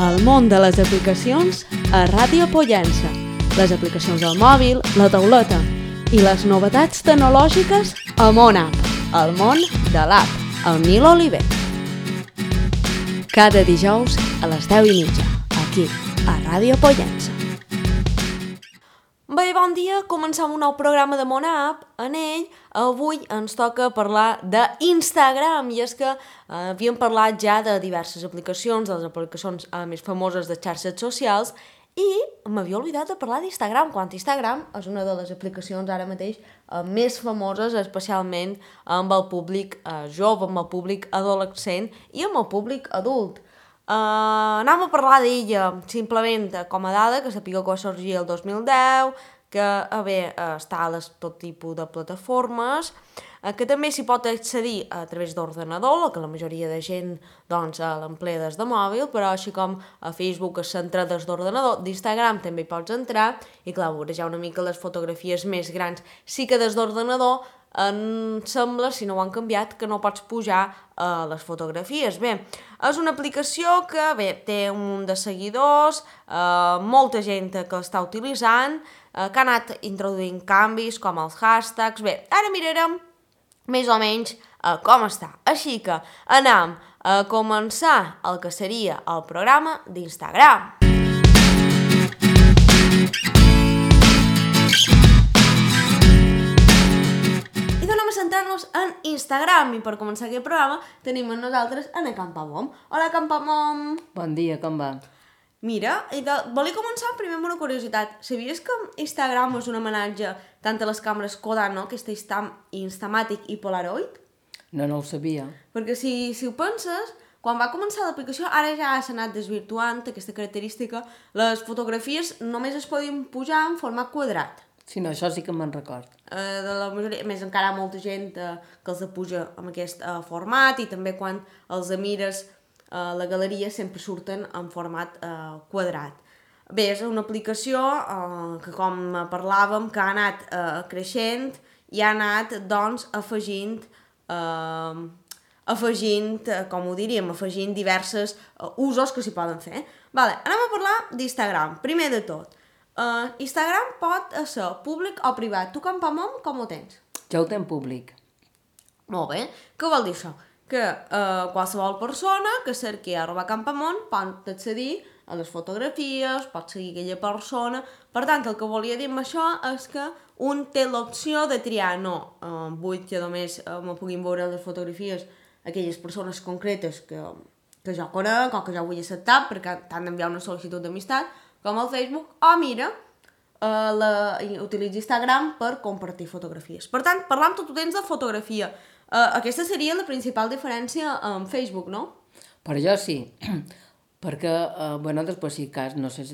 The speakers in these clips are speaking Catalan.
El món de les aplicacions a Ràdio Pollença. Les aplicacions al mòbil, la tauleta i les novetats tecnològiques a MonApp, el món de l'app, el Nil Oliver. Cada dijous a les 10:30, aquí, a Ràdio Pollença. Bé, bon dia, comencem un nou programa de MonApp. En ell, avui ens toca parlar d'Instagram, i és que havíem parlat ja de diverses aplicacions, de les aplicacions més famoses de xarxes socials, i m'havia oblidat de parlar d'Instagram, quan Instagram és una de les aplicacions ara mateix més famoses, especialment amb el públic jove, amb el públic adolescent i amb el públic adult. Anem a parlar d'ella simplement com a dada, que sapigueu que va sorgir el 2010, que està a tot tipus de plataformes, que també s'hi pot accedir a través d'ordenador, que la majoria de gent l'emplea des de mòbil, però així com a Facebook s'entra des d'ordenador, d'Instagram també hi pots entrar, i clar, veuràs ja una mica les fotografies més grans. Sí que des d'ordenador em sembla, si no ho han canviat, que no pots pujar les fotografies. Bé, és una aplicació que té un munt de seguidors, molta gent que l'està utilitzant, que ha anat introduint canvis com els hashtags. Bé, ara mirarem més o menys com està. Així que anem a començar el que seria el programa d'Instagram. Centrar-nos en Instagram, i per començar aquest programa tenim amb nosaltres en Campamom. Hola, Campamom! Bon dia, com va? Mira, volia començar primer amb una curiositat. Sabies que Instagram és un homenatge tant a les càmeres Kodak, no? Aquesta Instamatic i Polaroid? No ho sabia. Perquè si ho penses, quan va començar l'aplicació, ara ja s'ha anat desvirtuant aquesta característica, les fotografies només es podien pujar en format quadrat. Sí, no, això sí que me'n record. De la majoria, més encara hi ha molta gent que els puja en aquest format, i també quan els mires la galeria sempre surten en format quadrat. Bé, és una aplicació que, com parlàvem, que ha anat creixent i ha anat, doncs, afegint diversos usos que s'hi poden fer. Vale, anem a parlar d'Instagram. Primer de tot, Instagram pot ser públic o privat. Tu, Campamom, com ho tens? Jo ho tenc públic. Molt bé. Què vol dir això? Que qualsevol persona que cerqui @Campamom pot accedir a les fotografies, pot seguir aquella persona. Per tant, el que volia dir amb això és que un té l'opció de triar, no, vull que només me puguin veure les fotografies aquelles persones concretes que jo conec o que jo vull acceptar, perquè t'han d'enviar una sol·licitud d'amistat, com el Facebook, o mira, utilitza Instagram per compartir fotografies. Per tant, parlant tu tens de fotografia. Aquesta seria la principal diferència amb Facebook, no? Per jo sí, perquè, després si cas, no sé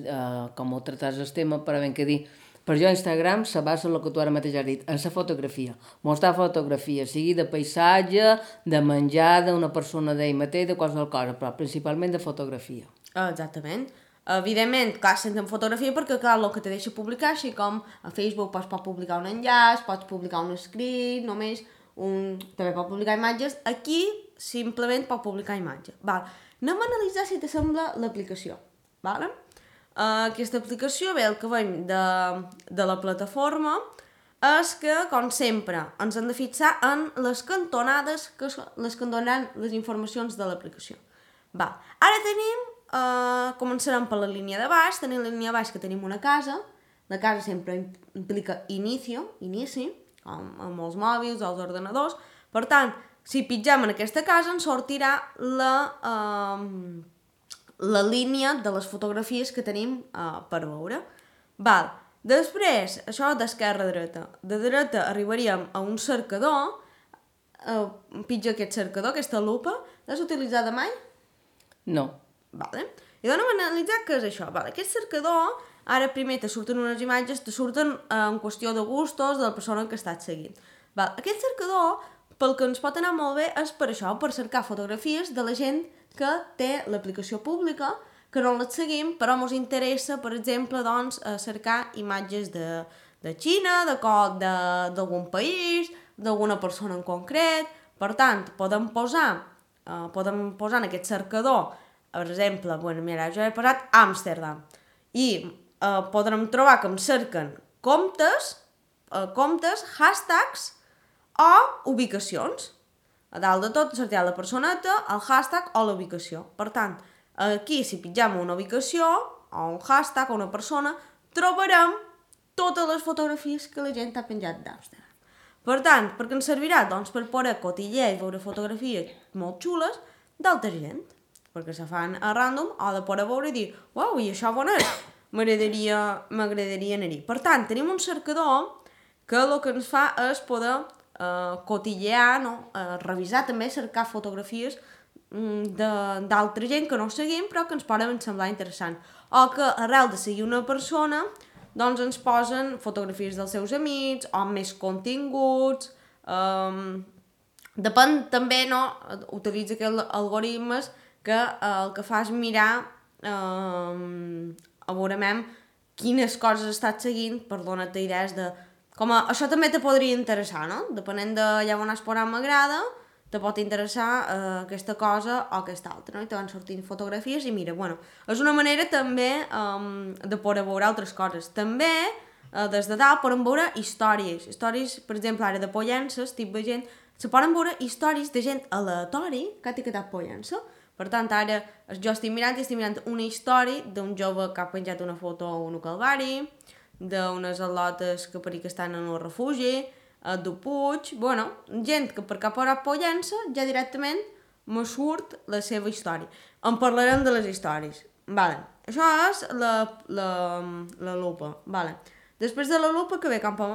com ho tractes el tema, però ben que dir, per jo Instagram se basa en el que tu ara mateix has dit, en la fotografia. Mostrar fotografia, sigui de paisatge, de menjar, d'una persona d'ell mateix, de qualsevol cosa, però principalment de fotografia. Exactament. Evidentment, clar, sense fotografia, perquè clar, el que te deixa publicar, així com a Facebook pots publicar un enllaç, pots publicar un escrit, també pots publicar imatges. Aquí simplement pots publicar imatges. Anem a analitzar, si t'assembla, l'aplicació. Aquesta aplicació, el que veiem de la plataforma és que, com sempre, ens hem de fixar en les cantonades, que són les que donen les informacions de l'aplicació. Ara tenim, començarem per la línia de baix. Tenim la línia de baix, que tenim una casa. La casa sempre implica inici, com amb els mòbils o els ordenadors. Per tant, si pitgem en aquesta casa ens sortirà la línia de les fotografies que tenim per veure. Després, això d'esquerra a dreta. De dreta arribaríem a un cercador. Pitja aquest cercador, aquesta lupa. L'has utilitzada mai? No. I anem a analitzar què és això. Aquest cercador, ara primer te surten unes imatges, te surten en qüestió de gustos de la persona que estàs seguint. Aquest cercador, pel que ens pot anar molt bé, és per això, per cercar fotografies de la gent que té l'aplicació pública, que no les seguim, però ens interessa, per exemple, cercar imatges de Xina, d'algun país, d'alguna persona en concret. Per tant, podem posar en aquest cercador per exemple, bueno, mira, jo he posat Amsterdam i podrem trobar que em cerquen comptes, hashtags o ubicacions. A dalt de tot sortirà la personeta, el hashtag o la ubicació. Per tant, aquí si pitjam una ubicació o un hashtag o una persona, trobarem totes les fotografies que la gent ha penjat d'Amsterdam. Per tant, per què ens servirà? Doncs per poder cotillear i veure fotografies molt xules d'altra gent, perquè se fan a random o de poder veure i dir uau, i això on és? M'agradaria anar-hi. Per tant, tenim un cercador que el que ens fa és poder cotillear, no? Revisar també, cercar fotografies d'altra gent que no seguim però que ens poden semblar interessant. O que arrel de seguir una persona doncs ens posen fotografies dels seus amics o més continguts. Depèn també, no? Utilitza aquells algoritmes que el que fa és mirar a veure quines coses estàs seguint per donar-te idees de això també te podria interessar, no? Depenent d'allà on has posat m'agrada, te pot interessar aquesta cosa o aquesta altra, no? I te van sortint fotografies i mira, bueno, és una manera també de poder veure altres coses. També, des de dalt, podem veure històries. Històries, per exemple, ara de Pollença, estic veient, se poden veure històries de gent aleatori que ha etiquetat Pollença. Per tant, ara jo estic mirant una història d'un jove que ha penjat una foto a un calvari, d'unes al·lotes que per que estan en un refugi, de Puig, bueno, gent que per cap hora Pollença ja directament me surt la seva història. En parlarem de les històries. Vale. Això és la lupa. Vale. Després de la lupa, que ve cap a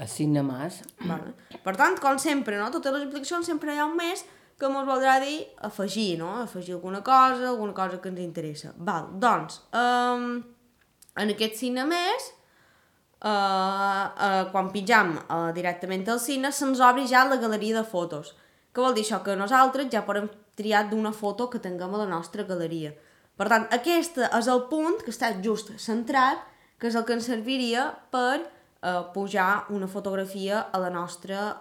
a Cinemàs. Vale. Per tant, com sempre, no? Totes les aplicacions sempre hi ha un més que ens voldrà dir afegir, no? Afegir alguna cosa que ens interessa. Val. Doncs, en aquest Cinemàs, quan pitjam directament al cine se'ns obri ja la galeria de fotos. Què vol dir això? Que nosaltres ja podem triar d'una foto que tinguem a la nostra galeria. Per tant, aquest és el punt que està just centrat, que és el que ens serviria per pujar una fotografia a la nostra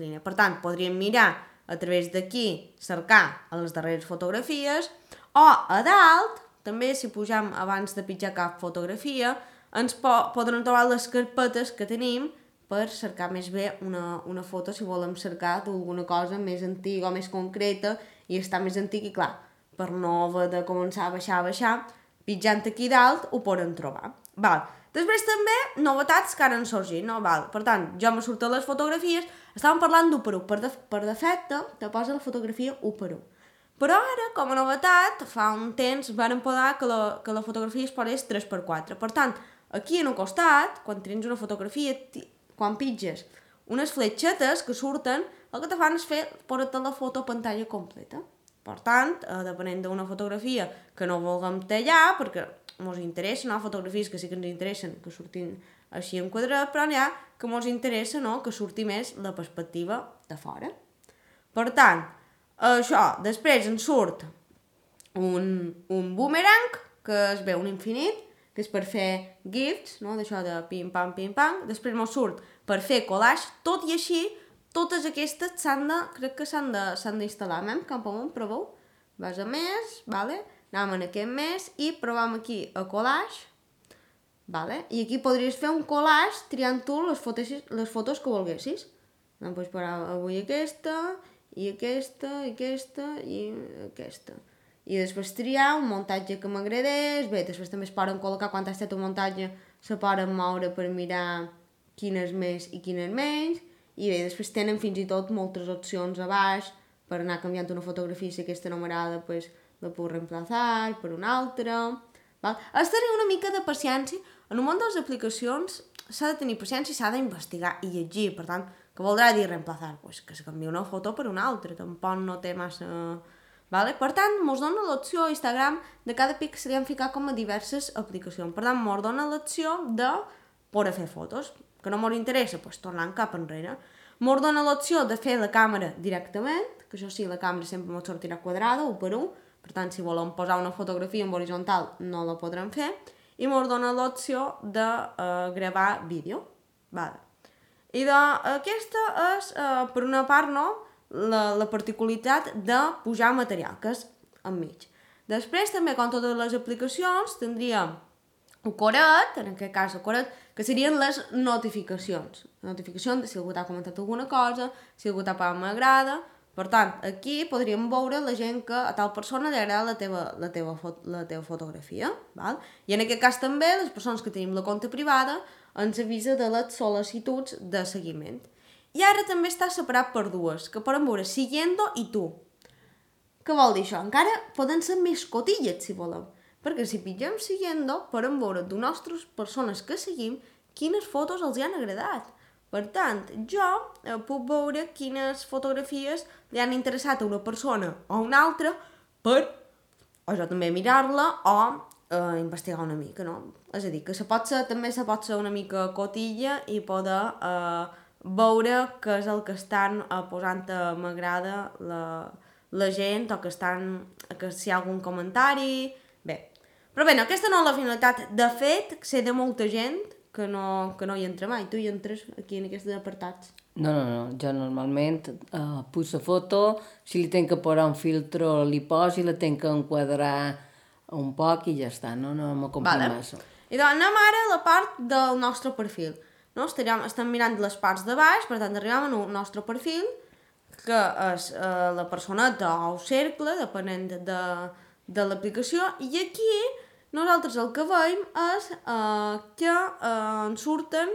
línia. Per tant, podríem mirar a través d'aquí, cercar a les darreres fotografies, o a dalt, també si pujam abans de pitjar cap fotografia, ens podran trobar les carpetes que tenim per cercar més bé una foto si volem cercar d'alguna cosa més antiga o més concreta i està més antic i clar, per no haver de començar a baixar, pitjant aquí dalt ho podem trobar. Val. Després també novetats que ara han sorgit, no? Val. Per tant, jo me surten les fotografies, estàvem parlant d'1 per 1, per defecte te posa la fotografia 1 per 1. Però ara, com a novetat, fa un temps varen posar que la fotografia es posés 3 per 4. Per tant, aquí en un costat, quan tens una fotografia, quan pitges unes fletxetes que surten, el que te fan és posar-te la foto a pantalla completa. Per tant, depenent d'una fotografia que no vulguem tallar, perquè ens interessa, no? Fotografies que sí que ens interessen, que surtin així en quadrat, però n'hi ha que ens interessa, no? Que surti més la perspectiva de fora. Per tant, això, després ens surt un boomerang, que es veu un infinit, que és per fer gifs, no? D'això de pim-pam, pim-pam. Després ens surt per fer collage, tot i així, totes aquestes crec que s'han d'instal·lar. Cap amunt, proveu. Vas a més, vale? Anem en aquest més i provem aquí a collage. Vale? I aquí podries fer un collage triant tu les fotos que volguessis. Doncs pots parar avui aquesta, i aquesta, i aquesta, i aquesta. I després triar un muntatge que m'agradés. Bé, després també es poden col·locar quan ha estat un muntatge, se poden moure per mirar quin és més i quin és menys. I bé, després tenen fins i tot moltes opcions a baix per anar canviant una fotografia, si aquesta no m'agrada, pues, la puc reemplaçar per una altra. Val? Has de tenir una mica de paciència. En el món de les aplicacions s'ha de tenir paciència i s'ha d'investigar i llegir. Per tant, què voldrà dir reemplaçar? Pues que se canvia una foto per una altra. Tampoc no té massa... Vale? Per tant, ens dona l'opció a Instagram de cada pixel hem ficat com a diverses aplicacions. Per tant, ens dona l'opció de poder fer fotos. Que no ens interessa, doncs tornant cap enrere. Ens dona l'opció de fer la càmera directament, que això sí, la càmera sempre ens sortirà quadrada, 1 per 1. Per tant, si volem posar una fotografia en horitzontal, no la podrem fer. I ens dona l'opció de gravar vídeo. Vale. I aquesta és, per una part, no, la particularitat de pujar material, que és enmig. Després, també, com totes les aplicacions, tindríem el coret, en aquest cas el coret, que serien les notificacions. Notificacions de si algú t'ha comentat alguna cosa, si algú t'ha pagat m'agrada. Per tant, aquí podríem veure la gent que a tal persona li agrada la teva fotografia. Val? I en aquest cas també, les persones que tenim la compte privada ens avisa de les sol·licituds de seguiment. I ara també està separat per dues, que poden veure Siguiendo i Tu. Què vol dir això? Encara poden ser més cotilles, si volem. Perquè si pitgem Siguiendo, podem veure de nostres persones que seguim quines fotos els han agradat. Per tant, jo puc veure quines fotografies li han interessat a una persona o a una altra per, o jo també mirar-la o investigar una mica, no? És a dir, que també se pot ser una mica cotilla i poder veure què és el que estan posant a m'agrada la gent o que si hi ha algun comentari... Bé, però bé, aquesta no és la finalitat. De fet, sé de molta gent que no hi entra mai. Tu hi entres aquí en aquests apartats? No. Jo normalment puc la foto, si li tenc que posar un filtro li poso i la tenc que enquadrar un poc i ja està, no me complico massa. I doncs anem ara a la part del nostre perfil. No? Estem mirant les parts de baix, per tant arribem al nostre perfil, que és la personeta o el cercle, depenent de l'aplicació, i aquí nosaltres el que veiem és que ens surten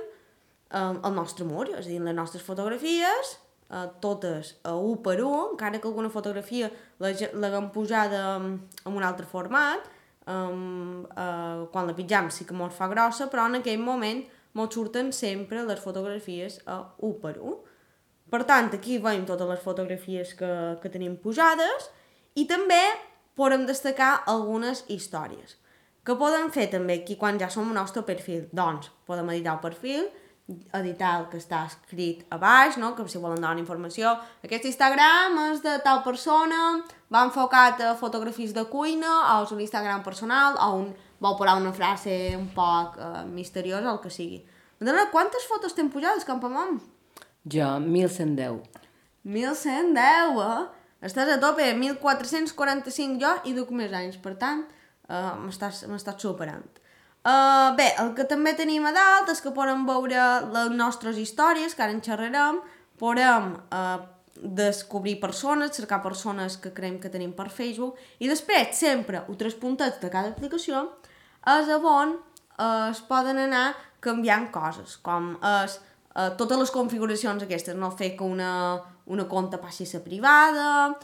el nostre mur, és a dir, les nostres fotografies, totes a 1 per 1, encara que alguna fotografia l'haguem pujada en un altre format, quan la pitjam sí que mos fa grossa, però en aquell moment mos surten sempre les fotografies a 1 per 1. Per tant, aquí veiem totes les fotografies que tenim pujades i també podem destacar algunes històries. Què podem fer també aquí quan ja som al nostre perfil? Doncs podem editar el perfil, editar el que està escrit a baix, no? Que si volen donar informació. Aquest Instagram és de tal persona, va enfocat a fotografies de cuina, o és un Instagram personal, o vol posar una frase un poc misteriosa, el que sigui. Madalena, quantes fotos t'hem pujades, Campamont? Jo, 1110. 1110, Estàs a tope, 1445 jo i duc més anys, per tant, m'estàs superant. Bé, el que també tenim a dalt és que podem veure les nostres històries, que ara en xerrarem, podem descobrir persones, cercar persones que creiem que tenim per Facebook, i després, sempre, tres puntets de cada aplicació, és on es poden anar canviant coses, com totes les configuracions aquestes, no fer que una compte passi a ser privada,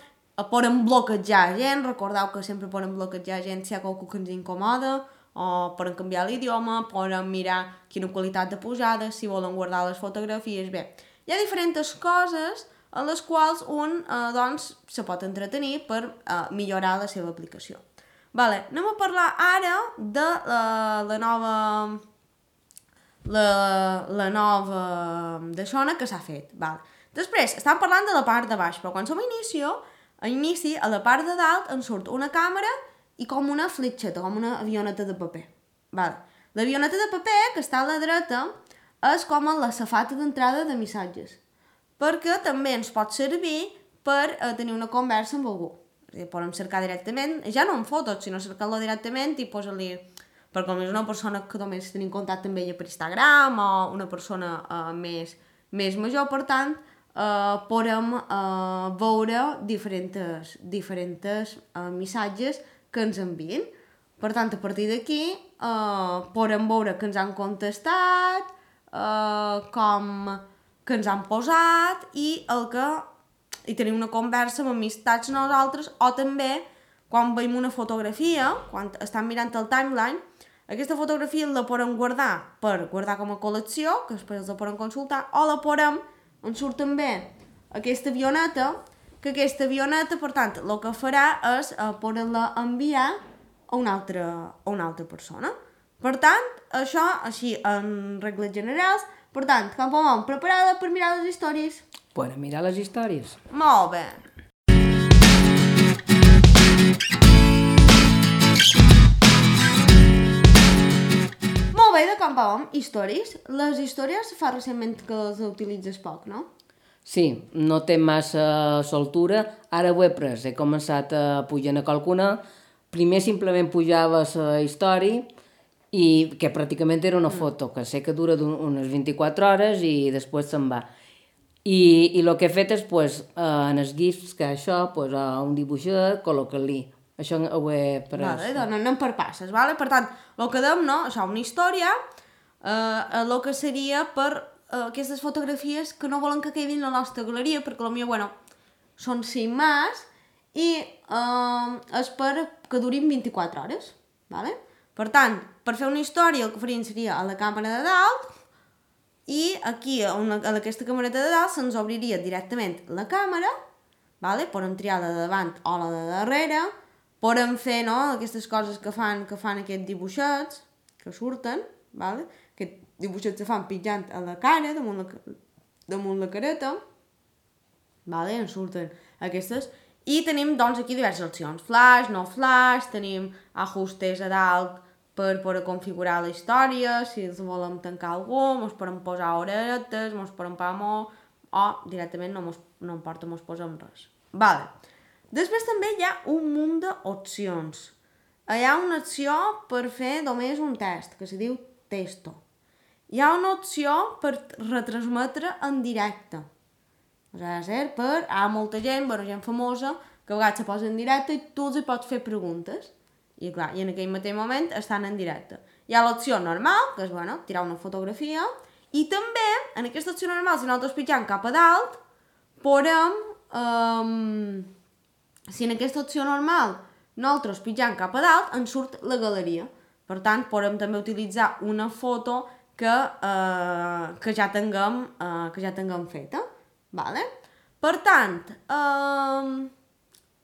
podem bloquejar gent, recordeu que sempre podem bloquejar gent si hi ha qualcú que ens incomoda, o podem canviar l'idioma, podem mirar quina qualitat de pujada, si volen guardar les fotografies. Bé, hi ha diferents coses en les quals un se pot entretenir per millorar la seva aplicació. Vale, anem a parlar ara de la nova d'aixona que s'ha fet. Vale. Després, estem parlant de la part de baix, però quan som a inici, a la part de dalt ens surt una càmera i com una fletxeta, com una avioneta de paper. Vale. L'avioneta de paper, que està a la dreta, és com la safata d'entrada de missatges, perquè també ens pot servir per tenir una conversa amb algú. Podem cercar directament, ja no en fotos, sinó cercar-lo directament i posar-li... Perquè com és una persona que només tenim contacte amb ella per Instagram o una persona més major, per tant, podem veure diferents missatges que ens envien. Per tant, a partir d'aquí podem veure que ens han contestat, com que ens han posat i tenim una conversa amb amistats nosaltres, o també quan veiem una fotografia, quan estem mirant el timeline, aquesta fotografia la podem guardar per guardar com a col·lecció, que després la podem consultar, o la podem, ens surt també aquesta avioneta, que aquesta avioneta, per tant, el que farà és poder-la enviar a una altra persona. Per tant, això, així, en regles generals. Per tant, Campamont, preparada per mirar les històries? Podem mirar les històries. Molt bé. Molt bé, de Campamont, històries. Les històries fa recentment que les utilitzes poc, no? Sí, no té massa soltura. Ara ho he pres, he començat a pujar a qualcuna, primer simplement pujava la història i que pràcticament era una foto, que sé que dura unes 24 hores i després se'n va. I el que he fet és, en els gifs que això, un dibuixet, col·locar-li. Això ho he pres. Vale, doncs anem per passes, vale? Per tant, el que dèiem, no? Això, una història, el que seria per aquestes fotografies que no volen que quedin a la nostra galeria, perquè potser, bueno, són 5 más i és per que durin 24 hores, vale? Per tant, per fer una història el que faríem seria a la càmera de dalt i aquí, a aquesta camereta de dalt, se'ns obriria directament la càmera, vale? Podem triar la de davant o la de darrere, podem fer, no?, aquestes coses que fan aquests dibuixets que surten, vale? Aquests dibuixets se fan pitjant a la cara, damunt la careta, vale? En surten aquestes. I tenim, doncs, aquí diverses opcions. Flash, no flash, tenim ajustes a dalt per poder configurar la història, si els volem tancar algú, ens podem posar oretes, ens podem posar o directament no importa, ens posem res. Vale. Després també hi ha un munt d'opcions. Hi ha una opció per fer només un test, que se diu testo. Hi ha una opció per retransmetre en directe. O sigui, hi ha molta gent, gent famosa, que a vegades se posa en directe i tu els hi pots fer preguntes. I clar, i en aquell mateix moment estan en directe. Hi ha l'opció normal, que és, tirar una fotografia, i també, en aquesta opció normal, si nosaltres pitjam cap a dalt, podem, si en aquesta opció normal nosaltres pitjam cap a dalt, ens surt la galeria. Per tant, podem també utilitzar una foto que ja tinguem feta. Vale? Per tant,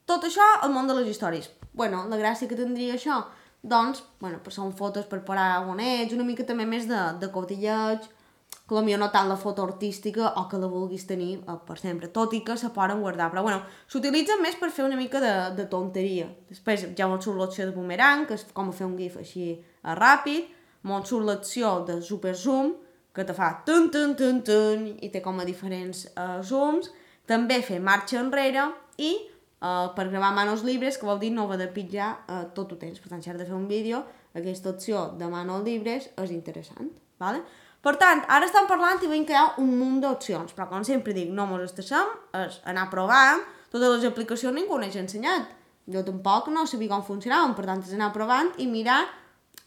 tot això al món de les històries. La gràcia que tindria això, doncs, són fotos per parar on ets, una mica també més de cotilleig, que potser no tant la foto artística o que la vulguis tenir per sempre, tot i que se poden guardar. Però s'utilitzen més per fer una mica de tonteria. Després ja ens surt l'opció de boomerang, que és com fer un gif així ràpid, ens surt l'opció de super zoom, que te fa tun tun tun tun i té com a diferents zooms. També fer marxa enrere i per gravar manos libres, que vol dir no haver de pitjar tot el temps. Per tant, si has de fer un vídeo, aquesta opció de manos libres és interessant. Vale? Per tant, ara estem parlant i veiem que hi ha un munt d'opcions, però com sempre dic, no mos estassem, és anar provant. Totes les aplicacions ningú n'he ensenyat. Jo tampoc no sabia com funcionaven, per tant, és anar provant i mirar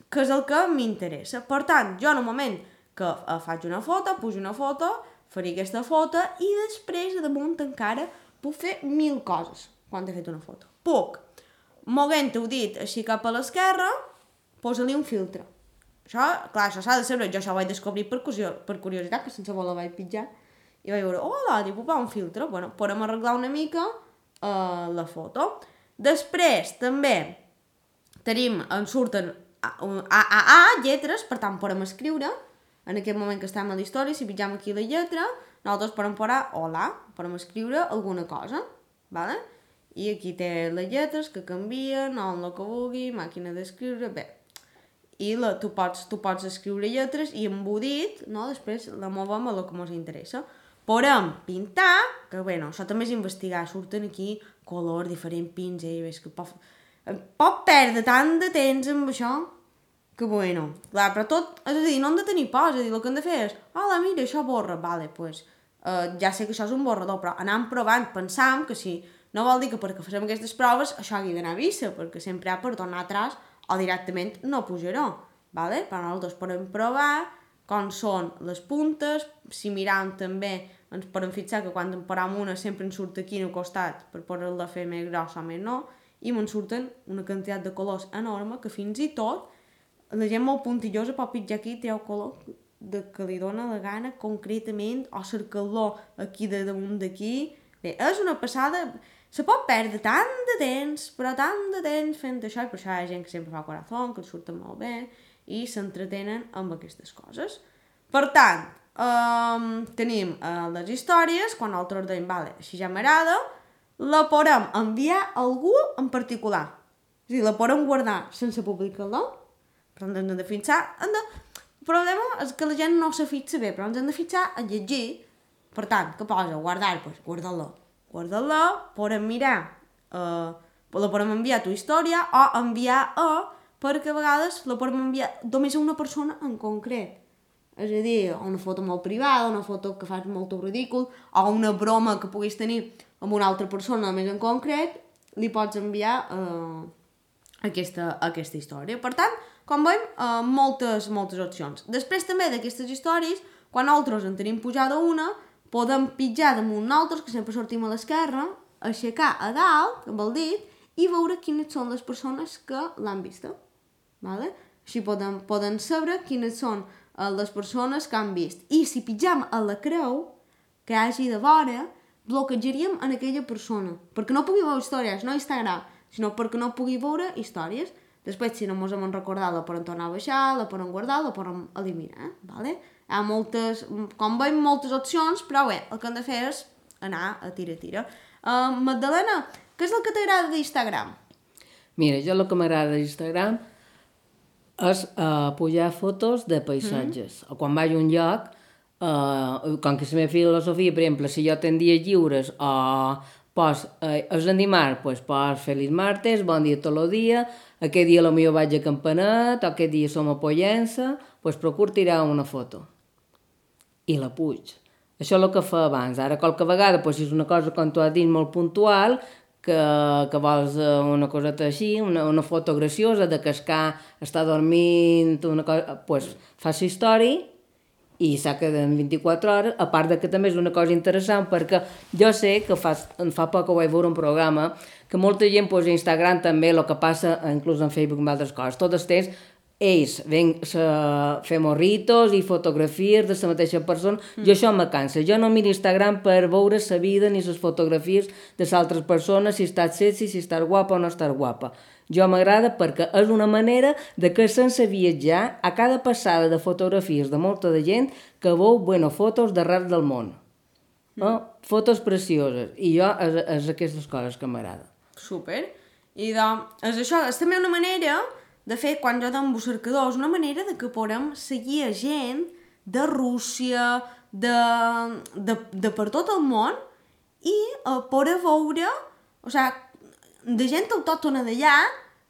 què és el que m'interessa. Per tant, jo en un moment que faig una foto, pujo una foto, faré aquesta foto i després, a damunt encara, puc fer 1000 coses quan he fet una foto. Puc, moguent-ho dit així cap a l'esquerra, posa-li un filtre. Això s'ha de saber, jo això ho vaig descobrir per curiositat, que sense voler vaig pitjar, i vaig veure, puc posar un filtre, podem arreglar una mica la foto. Després, també, ens surten lletres, per tant, podem escriure, en aquest moment que estem a la història, si pitjam aquí la lletra, nosaltres podem posar hola, podem escriure alguna cosa, vale? I aquí té les lletres que canvien, o el que vulgui, màquina d'escriure, bé. I tu pots escriure lletres i embudit, no? Després la movem a el que ens interessa. Podem pintar, que això també és investigar, surten aquí colors, diferents pins, i ves que pot perdre tant de temps amb això, que clar, però tot, és a dir, no hem de tenir por, és a dir, el que hem de fer és, mira, això borra, vale, ja sé que això és un borrador, però anant provant, pensam que si no vol dir que perquè fem aquestes proves això hagi d'anar a vista, perquè sempre hi ha per tornar atrás o directament no pujarà, vale? Però nosaltres podem provar com són les puntes, si miram també ens podem fixar que quan en param una sempre ens surt aquí al costat per poder-la fer més grossa o més no, i ens surten una quantitat de colors enorme que fins i tot la gent molt puntillosa pot pitjar aquí i treu color que li dona la gana concretament o cercar-lo aquí de damunt d'aquí. Bé, és una passada. Se pot perdre tant de temps fent això, i per això hi ha gent que sempre fa corazón, que els surten molt bé i s'entretenen amb aquestes coses. Per tant, tenim les històries, quan nosaltres dèiem, així ja m'agrada, la podem enviar a algú en particular. És a dir, la podem guardar sense publicar-la, però ens hem de fixar. El problema és que la gent no se fixa bé, però ens hem de fixar a llegir. Per tant, què posa? Guardar, doncs guardar-la. Guardar-la, podem mirar la podem enviar a tu història o enviar perquè a vegades la podem enviar només a una persona en concret. És a dir, una foto molt privada, una foto que fas molt ridícul, o una broma que puguis tenir amb una altra persona més en concret, li pots enviar aquesta història. Per tant, com veiem, moltes opcions. Després també d'aquestes històries, quan nosaltres en tenim pujada una, podem pitjar damunt nosaltres, que sempre sortim a l'esquerra, aixecar a dalt, amb el dit, i veure quines són les persones que l'han vista. Vale? Així poden saber quines són les persones que han vist. I si pitjam a la creu que hi hagi de vora, bloquejaríem en aquella persona, perquè no pugui veure històries, no Instagram, sinó perquè no pugui veure històries. Després, si no ens hem recordat, la podem tornar a baixar, la podem guardar, la podem eliminar. Vale? Hi ha moltes, com veiem, moltes opcions, però bé, el que hem de fer és anar a tira. Magdalena, què és el que t'agrada d'Instagram? Mira, jo el que m'agrada d'Instagram és pujar fotos de paisatges. O quan vaig a un lloc, com que la meva filosofia, per exemple, si jo tenc dies lliures o és en dimarts, doncs pos feliç martes, bon dia tot el dia, aquest dia potser vaig a Campanet, o aquest dia som a Pollença, doncs procuro tirar una foto. I la puig. Això és el que fa abans. Ara, qualque vegada, doncs, si és una cosa, com tu has dit, molt puntual, que vols una coseta així, una foto graciosa de cascar, està dormint, una cosa, doncs fas la història i s'ha quedat en 24 hores, a part de que també és una cosa interessant perquè jo sé que fa poc que vaig veure un programa que molta gent posa a Instagram també el que passa inclús en Facebook i altres coses. Tot el temps ells ven a fer morritos i fotografies de la mateixa persona. Jo això me cansa. Jo no miro Instagram per veure la vida ni les fotografies de les altres persones, si estàs sexy, si estàs guapa o no estàs guapa. Jo m'agrada perquè és una manera de que sense viatjar a cada passada de fotografies de molta de gent que veu fotos d'arreu del món. Fotos precioses. I jo és aquestes coses que m'agrada. Super. I és això, és també una manera de fer, quan jo dono cercadors, una manera de que podem seguir a gent de Rússia, de per tot el món i poder veure, o sigui, de gent autòctona d'allà,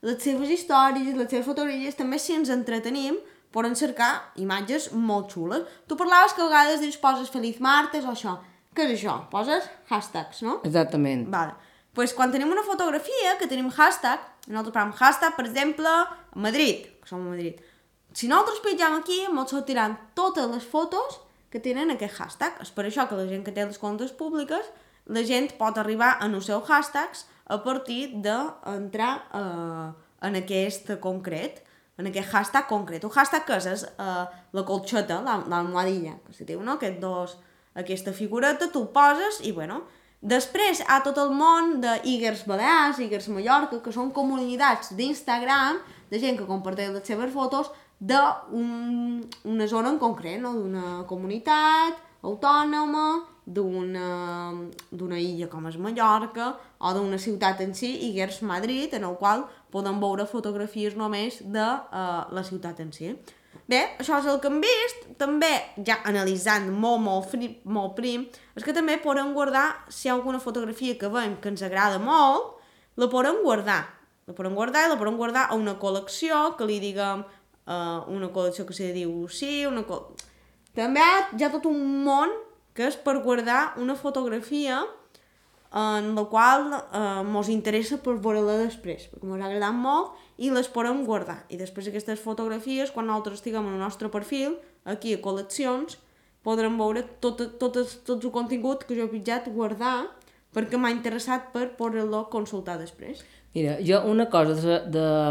les seves històries, les seves fotografies, també si ens entretenim, poden cercar imatges molt xules. Tu parlaves que a vegades dius poses Feliz Martes o això. Què és això? Poses hashtags, no? Exactament. Vale. Pues quan tenim una fotografia, que tenim hashtag, nosaltres parlem hashtag, per exemple, Madrid, que som a Madrid. Si nosaltres pitjam aquí, ens sortiran totes les fotos que tenen aquest hashtag. És per això que la gent que té les comptes públiques, la gent pot arribar a els seus hashtags a partir d'entrar en aquest concret, en aquest hashtag concret. Un hashtag que és la colxeta, l'almohadilla, que se diu, no? Aquesta figureta, tu el poses i, bueno, després hi ha tot el món d'Iguers Balears, Iguers Mallorca, que són comunitats d'Instagram, de gent que comparteix les seves fotos d'una zona en concret, no? D'una comunitat autònoma, d'una illa com és Mallorca, o d'una ciutat en si, Iguers Madrid, en el qual podem veure fotografies només de la ciutat en si. Bé, això és el que hem vist. També, ja analitzant molt prim, és que també podem guardar, si hi ha alguna fotografia que veiem que ens agrada molt, la podem guardar. La podem guardar i la podem guardar a una col·lecció, que li diguem una col·lecció que se diu sí, també hi ha tot un món que és per guardar una fotografia en la qual ens interessa per veure-la després, perquè ens ha agradat molt i les podem guardar. I després aquestes fotografies, quan nosaltres estiguem en el nostre perfil, aquí a col·leccions, podrem veure tot el contingut que jo he pitjat, guardar, perquè m'ha interessat per poder-lo consultar després. Mira, jo una cosa,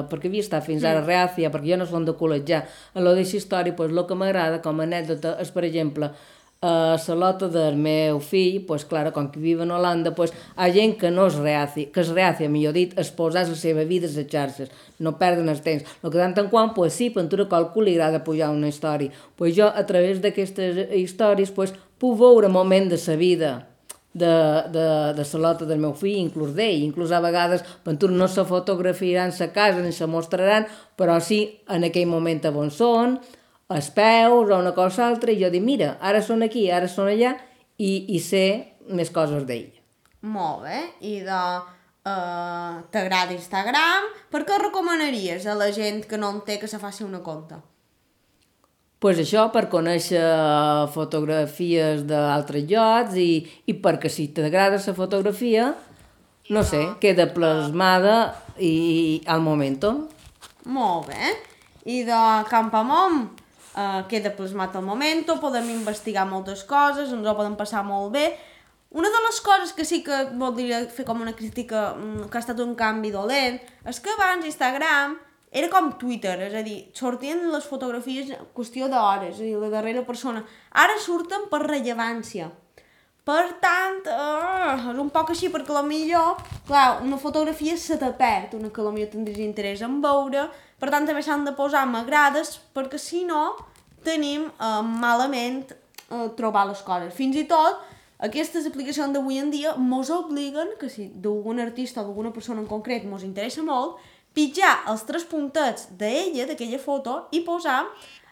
perquè havia estat fins ara reàcia, perquè jo no som de col·legiar, en lo d'aquesta història, doncs el que m'agrada com a anècdota és, per exemple, a la lota del meu fill, doncs, clar, com que vive en Holanda, doncs, hi ha gent que no és reàcia, que és reàcia, millor dit, exposar la seva vida a les xarxes, no perden el temps. El que tant en quant, doncs sí, per a qualcú li agrada pujar una història. Doncs jo, a través d'aquestes històries, doncs, puc veure un moment de la vida de la lota del meu fill, inclús d'ell. Inclús a vegades, per no se fotografiaran a casa ni se mostraran, però sí en aquell moment on són, els peus o una cosa altra, i jo dic, mira, ara són aquí, ara són allà, i sé més coses d'ell. Molt bé, i t'agrada Instagram, per què recomanaries a la gent que no en té que se faci una compte? Pues això, per conèixer fotografies d'altres llocs i perquè si t'agrada la fotografia, no sé, queda plasmada i al momento. Molt bé. I de Campamont queda plasmat al momento, podem investigar moltes coses, ens ho podem passar molt bé. Una de les coses que sí que voldria fer com una crítica, que ha estat un canvi dolent, és que abans Instagram era com Twitter, és a dir, sortien les fotografies en qüestió d'hores, és a dir, la darrera persona. Ara surten per rellevància. Per tant, és un poc així, perquè potser, clar, una fotografia se te perd, una que potser tindries interès en veure, per tant també s'han de posar m'agrades, perquè si no tenim malament trobar les coses. Fins i tot, aquestes aplicacions d'avui en dia mos obliguen que si d'algun artista o d'alguna persona en concret mos interessa molt, pitjar els 3 puntets d'ella, d'aquella foto, i posar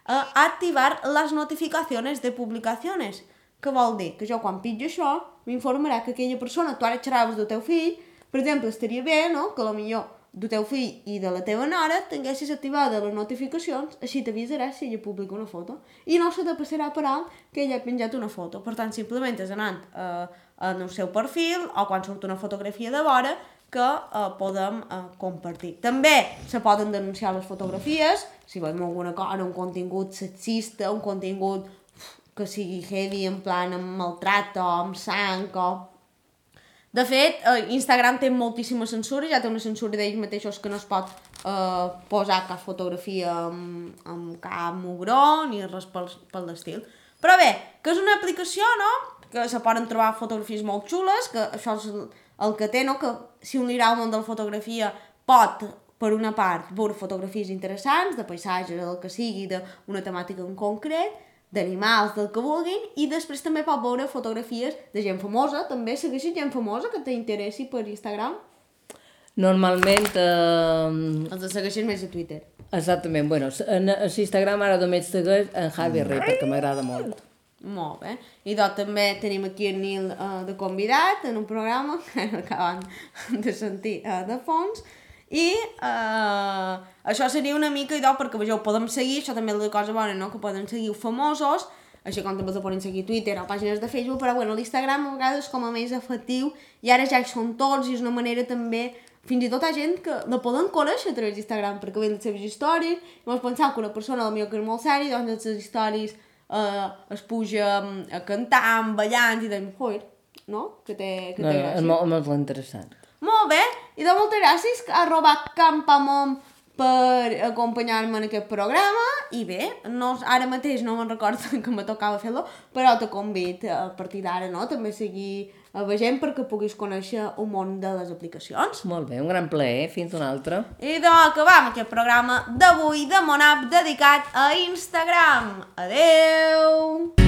activar les notificacions de publicacions. Què vol dir? Que jo quan pitjo això, m'informarà que aquella persona, tu ara xerraves del teu fill, per exemple, estaria bé, no?, que potser del teu fill i de la teva nora tinguessis activades les notificacions, així t'avisaràs si ella publica una foto. I no se te passarà per alt que ella ha penjat una foto. Per tant, simplement és anant en el seu perfil o quan surt una fotografia de vora que podem compartir. També se poden denunciar les fotografies, si veiem alguna cosa, un contingut sexista, un contingut que sigui heavy, en plan amb maltracte o amb sang o... De fet, Instagram té moltíssima censura, ja té una censura d'ells mateixos que no es pot posar cap fotografia amb cap mugró ni res pel l'estil. Però bé, que és una aplicació, no?, que se poden trobar fotografies molt xules, que això és el que té, no?, que si un li agrada el món de la fotografia pot, per una part, veure fotografies interessants, de paisatges, del que sigui, d'una temàtica en concret, d'animals, del que vulguin, i després també pot veure fotografies de gent famosa, també segueixes gent famosa que t'interessi per Instagram? Normalment... Els segueixes més a Twitter. Exactament, bueno, a Instagram ara només segueix en Javi Rey, perquè m'agrada molt. Molt bé. I doncs també tenim aquí el Nil de convidat en un programa que acaben de sentir de fons. I això seria una mica idò perquè vegeu, podem seguir, això també és la cosa bona, no?, que podem seguir famosos, així com també els poden seguir a Twitter o pàgines de Facebook, però bueno, l'Instagram a vegades és com a més efectiu i ara ja hi són tots i és una manera també, fins i tot hi ha gent que la poden conèixer a través d'Instagram perquè veuen les seves històries i mos pensam que una persona potser que és molt sèria, doncs les seves històries es puja a cantar, ballant i dèiem, joder, no? Que té gràcia. És molt interessant. Molt bé, i de moltes gràcies a Campamont per acompanyar-me en aquest programa i bé, ara mateix no me'n recordo que me tocava fer-lo, però te convido a partir d'ara, no?, també seguir veient perquè puguis conèixer un món de les aplicacions. Molt bé, un gran plaer, fins una altra. I doncs acabam aquest programa d'avui de Monap dedicat a Instagram. Adeu!